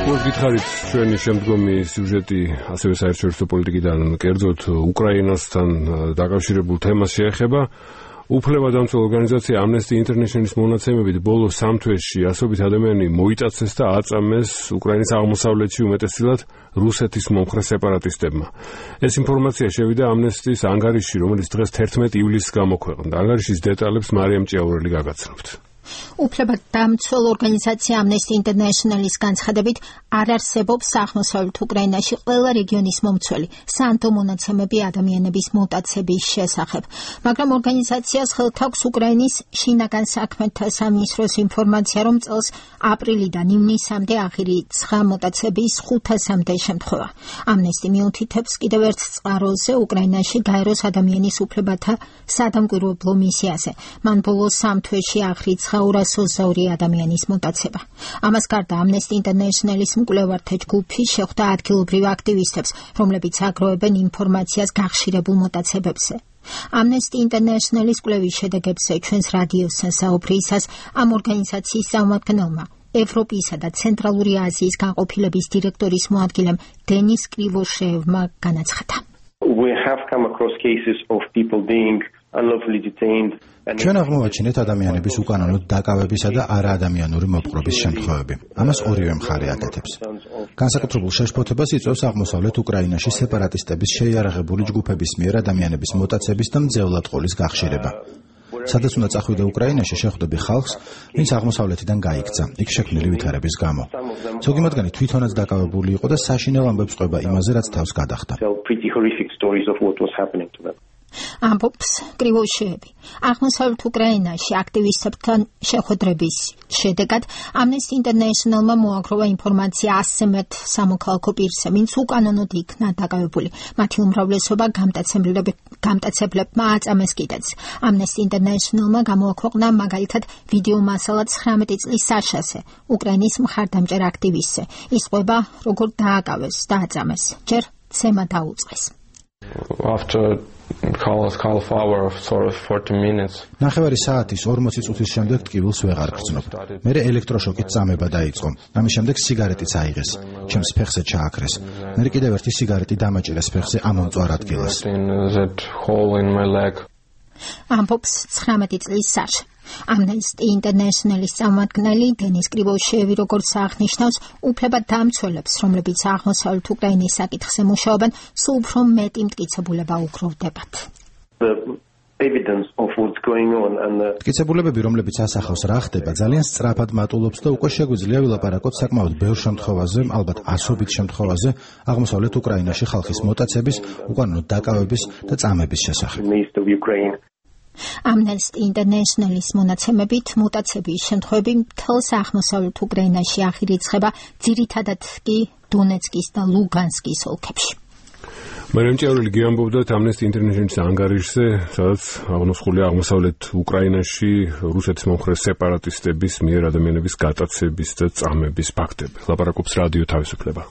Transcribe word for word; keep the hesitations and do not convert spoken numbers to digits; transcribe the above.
გითხარით ჩვენი შემდგომი სიუჟეტი ასევე საერთაშორისო პოლიტიკიდან კერძოდ უკრაინასთან დაკავშირებულ თემას შეეხება. უფლებადამცველ ორგანიზაცია Amnesty International-ის მონაცემებით ბოლო სამ თვეში ასობით ადამიანი მოიტაცეს და აწამეს უკრაინის აღმოსავლეთში უმეტესწილად რუსეთის მომხრე სეპარატისტებმა. ეს ინფორმაცია შევიდა Amnesty-ის ანგარიშში, რომელიც დღეს თერთმეტი ივლისს გამოქვეყნდა. ანგარიშის დეტალებს მარიამ ჭიაურელი გაგაცნობთ. უფლებადამცველ ორგანიზაცია Amnesty International-ის განცხადებით არ არსებობს აღმოსავლეთ უკრაინაში ყველა რეგიონის მომცველი სანდო მონაცემები ადამიანების მუტაციების შესახებ, მაგრამ ორგანიზაციას ხელთ აქვს უკრაინის შინაგან საქმეთა სამინისტროს ინფორმაცია, რომ წელს აპრილიდან ივნისამდე აღირიცხა მუტაციების ხუთასამდე შემთხვევა. Amnesty მიუთითებს კიდევ ერთ წყაროზე უკრაინაში გაეროს ადამიანის უფლებათა სადამკვირვებლო მისიაზე. მან ბოლო სამ თვეში აღირიცხა ორას ოცდაორი ადამიანის მუტაცება. ამას გარდა Amnesty International-ის მკვლევართა ჯგუფი შეხვდა ადგილობრივ აქტივისტებს, რომლებიც აგროვებენ ინფორმაციას გახშირებულ მუტაციებებზე. Amnesty International-ის კვლევის შედეგებზე ჩვენს რადიოსთან საუბრისას ამ ორგანიზაციის წარმომადგენელმა ევროპისა და ცენტრალური აზიის განყოფილების დირექტორის მოადგილემ დენის კრივოშევმა განაცხადა. We have come across cases of people being unlawfully detained. ჩვენ აღმოვაჩინეთ ადამიანების უკანონოდ დაკავებისა და არაადამიანური მოპყრობის შემთხვევები. ამას ორივე მხარე აკეთებს. განსაკუთრებულ შეშფოთებას იწვევს აღმოსავლეთ უკრაინაში სეპარატისტების შეიარაღებული ჯგუფების მიერ ადამიანების მოტაცების და მძევლად-ყოლის გახშირება. სადაც უნდა წახვიდე უკრაინაში, შეხვდები ხალხს, ვინც აღმოსავლეთიდან გაიქცა, იქ შექმნილი ვითარების გამო. ზოგი მათგანი თვითონაც დაკავებული იყო და საშინელ ამბებს ყვება იმაზე, რაც თავს გადახდა. ამბობს კრივოშევი. აღმოსავლეთ უკრაინაში აქტივისტებთან შეხვედრების შედეგად Amnesty International-მა მოაგროვა ინფორმაცია ასზე მეტ სამოქალაქო პირზე, ვინც უკანონოდ იქნა დაკავებული. მათი უმრავლესობა გამტაცებლებმა აწამეს კიდეც. Amnesty International-მა გამოაქვეყნა მაგალითად ვიდეო მასალა ცხრამეტი წლის საშაზე, უკრაინის მხარდამჭერ აქტივისტზე. ის ყვება, როგორ დააკავეს და აწამეს. ჯერ ცემა დაუწყეს. After half hour of sort of forty minutes. ნახევარი საათის ორმოცი წუთის შემდეგ ტკივილს ვეღარ გრძნობ. მერე ელექტროშოკით წამება დაიწყო. ამის შემდეგ სიგარეტიც აიღეს. ჩემს ფეხზე ჩააქრეს. მერე კიდევ ერთი სიგარეტი დამაჭირეს ფეხზე ამომწვარ ადგილას. ამბობს ცხრამეტი წლის საშა. Amnesty International-ის წარმომადგენელი დენის კრივოშევი როგორც აღნიშნავს, უფლებადამცველებს, რომლებიც აღმოსავლეთ უკრაინის საკითხზე მუშაობენ, სულ უფრო მეტი მტკიცებულება უგროვდებათ. მტკიცებულებები, რომლებიც ასახავს რა ხდება, ძალიან სწრაფად მატულობს და უკვე შეგვიძლია ვილაპარაკოთ საკმაოდ ბევრ შემთხვევაზე, ალბათ ასობით შემთხვევაზე, აღმოსავლეთ უკრაინაში ხალხის მოტაცების, უკანონო დაკავების და წამების შესახებ. Amnesty International-ის მონაცემებით მუტაციების შემთხვევები მთელს აღმოსავლეთ უკრაინაში აღირიცხება, ძირითადად კი დონეცკის და ლუგანსკის ოლქებში. მარიამ ჭიაურელი გიამბობდათ Amnesty International-ის ანგარიშზე, სადაც აღნოსხულია აღმოსავლეთ უკრაინაში რუსეთის მომხრე სეპარატისტების მიერ ადამიანების გატაცების და წამების ფაქტები. ლაპარაკობს რადიო თავისუფლება.